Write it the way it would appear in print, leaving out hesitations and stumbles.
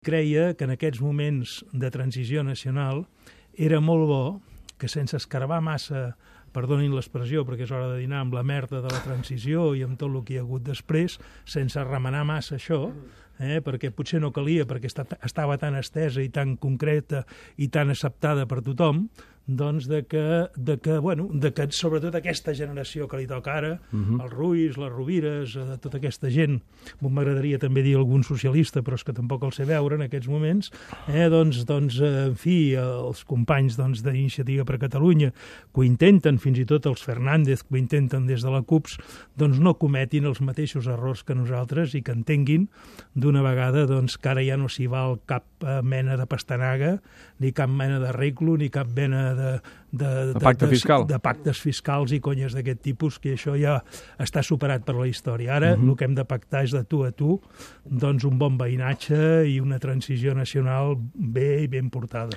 Creia que en aquests moments de transició nacional era molt bo que sense escarbar massa, perdonin l'expressió perquè és hora de dinar, amb la merda de la transició i amb tot el que hi ha hagut després, sense remenar massa això, perquè potser no calia, perquè estava tan estesa i tan concreta i tan acceptada per tothom, doncs de que sobretot aquesta generació que li toca ara, els Ruiz, les Rovires, tota aquesta gent, m'agradaria també dir algun socialista, però és que tampoc el sé veure en aquests moments, en fi, els companys d'Iniciativa per Catalunya, que ho intenten, fins i tot els Fernández, que ho intenten des de la CUPS, doncs no cometin els mateixos errors que nosaltres i que entenguin d'una vegada que ara ja no s'hi val cap mena de pastanaga, ni cap mena d'arreglo, ni cap mena de pactes fiscals i conyes d'aquest tipus, que això ja està superat per la història. Ara el que hem de pactar és de tu a tu, doncs un bon veïnatge i una transició nacional bé i ben portada.